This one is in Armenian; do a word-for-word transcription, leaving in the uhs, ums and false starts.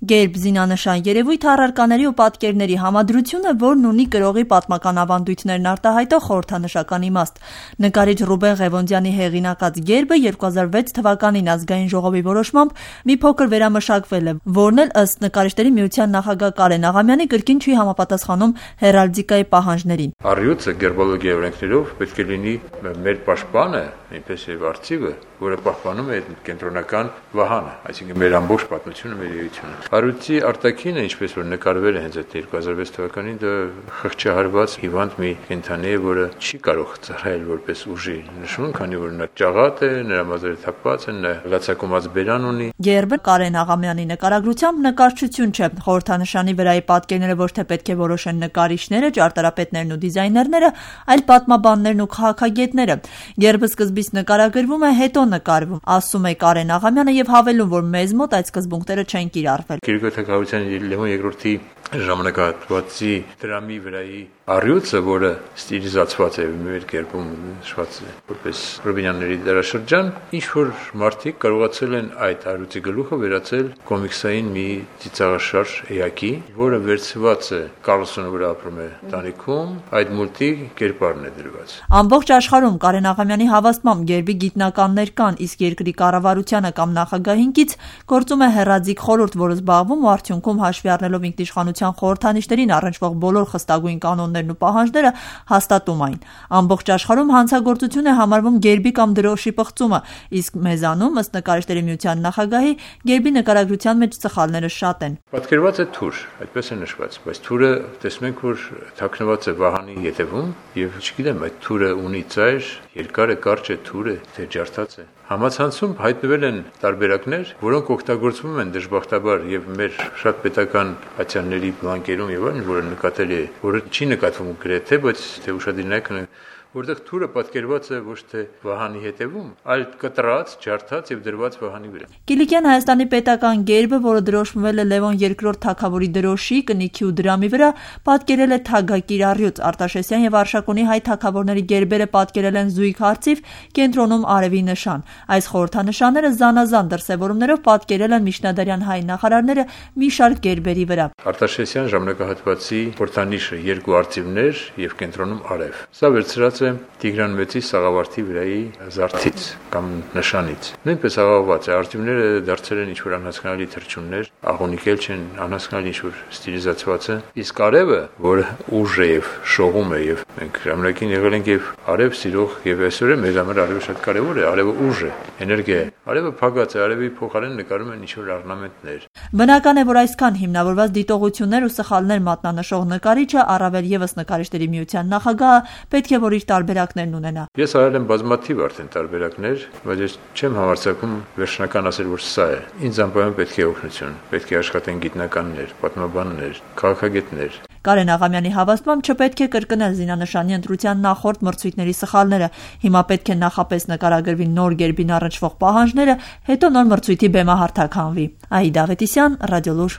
Գերբ զինանշան երևույթ առարկաների ու պատկերների համադրությունը, որն ունի կրողի պատմական ավանդույթներն արտահայտող խորհրդանշական իմաստ։ Նկարիչ Ռուբեն Ղևոնդյանի հեղինակած գերբը երկու հազար վեց թվականին ազգային ժողովի որոշմամբ մի փոքր վերամշակվել է, որն էլ ըստ Նկարիչների միության նախագահ Կարեն Աղամյանի կրկին չի համապատասխանում հերալդիկայի պահանջներին։ Առյուծը գերբոլոգիայի օրենքներով պետք է լինի մեր պաշտպանը, այնպես եւ արծիվը, որը պահպանում է կենտրոնական վահանը, այսինքն մեր ամբողջ պատմությունը, մեր էությունը։ Առյուծի արտաքինը, ինչպես որ նկարվել է հենց այդ երկու հազար վեց թվականին, դա խղճահարված հիվանդ մի կենդանի է, որը չի կարող ծառայել որպես ուժի նշուն, քանի որ նա ճաղատ է, նրա մազերը թափված են, նա լացակոմած բերան ունի։ Գերբը Կարեն Աղամյանի նկարագրությամբ նկարչություն չէ, խորհրդանշանի վրայի պատկերները ոչ թե պետք է որոշեն նկարիչները, ճարտարապետներն ու դիզայներները, այլ պատմաբաններն ու քաղաքագետները։ Գերբը սկզբից նկարագրվում է, հետո նկարվում, ասում է Կարեն Աղամյանը եւ հավելում, որ մեզ մոտ այդ սկզբունքները չեն կիրառվել։ Գերգո թագավորության Լևոն երկրորդի ժամանակահատվածի դրամի վրայի առյուծը, որը ստիլիզացված է մեր գերբում նշված է որպես Ռուբինյանների դարաշրջան, ինչ որ մարդիկ կարողացել են այդ առյուծի գլուխը վերածել կոմիքսային մի ծիծաղաշարժ էակի, որը վերցված է Կարլսոնի վրա ապրում է տանիքում, այդ մուլտի կերպարն է դրված։ Ամբողջ աշխարհում Կարեն Աղամյանի հավաստմամբ գերբի գիտնականներ կան, իսկ երկրի կառավարությանը կամ նախագահին կից գործում է հեռաձիգ խորհուրդ, որը զբաղվում ու արդյունքում հաշվի առնելով ինքնիշխանության խորհրդանիշներին առնչվող բոլոր խստագույն կանոններն ու պահանջները հաստատում այն։ Ամբողջ աշխարհում հանցագործություն է համարվում գերբի կամ դրոշի պղծումը, իսկ մեզանում, ըստ Նկարիչների միության նախագահի, գերբի նկարագրության մեջ սխալները շատ են։ Պատկերված է թուր, այդպես է նշված, բայց թուրը տեսնում ենք, որ թաքնված է վահանի ետևում եւ չգիտեմ, այդ թուրը ունի ծայր, երկար է, կարճ է, թուր է, թե ջարդած է։ Համացանցում հայտնվել են տարբերակներ, որոնք օգտագործվում են դժբախտաբար եւ մեր շատ պետական ատյանների բլանկերում եւ այլն, որը նկատելի է, որը չի նկատվում գրեթե, բայց թե ուշադրնակ որտեղ թուրը պատկերված է ոչ թե վահանի հետևում, այլ կտրած, ջարդած եւ դրված վահանի վրա։ Կիլիկյան Հայաստանի պետական գերբը, որը դրոշմվել է Լևոն երկրորդ թագավորի դրոշի, կնիքի ու դրամի վրա, պատկերել է թագակիր առյուծ։ Արտաշեսյան եւ Արշակունի հայ թագավորների գերբերը պատկերել են զույգ հարցիվ, կենտրոնում արևի նշան։ Այս խորհրդանշանները զանազան դրսևորումներով պատկերել են միջնադարյան հայ նախարարները մի շարք գերբերի վրա։ Արտաշեսյան ժամանակահատվածի խորհրդանիշը երկու արծիվներ եւ կենտրոնում արև։ Սա վերցրած Տիգրան Մեծի սաղավարտի վրայի զարդից կամ նշանից։ Նույնպես աղավված է, արծիվները դարձել են ինչ-որ անհասկանալի թռչուններ, աղոնիկել չեն, անհասկանալի ինչ-որ ստիլիզացված է, իսկ արևը, որը ուժ է եւ շողում է եւ մենք ժամանակին եղել ենք եւ արև սիրող եւ այսօր է մեր համար արևը շատ կարեւոր է, արևը ուժ է, էներգիա է, արևը փակած է, արևի փոխարեն նկարում են ինչ-որ առնամենտներ։ Բնական է, որ այսքան հիմնավորված դիտողություններ ու սխալներ մատնանշող նկարիչը, առավել եւս Նկարիչների միության նախագահը, պետք է որ իր տարբերակներն ունենա։ Ես արել եմ բազմաթիվ արդեն տարբերակներ, բայց ես չեմ համարձակում վերջնական ասել, որ սա է։ Ինձ անպայման պետք է օգնություն, պետք է աշխատեն գիտնականներ, պատմաբաններ, քաղաքագետներ։ Կարեն Աղամյանի հավաստմամբ չպետք է կրկնել զինանշանի ընտրության նախորդ մրցույթների սխալները։ Հիմա պետք է նախապես նկարագրվի նոր գերբին առնչվող պահանջները, հետո նոր մրցույթի բեմահարթակ հանվի։ Ահիդ Ավետիսյան, Ռադիոլուր։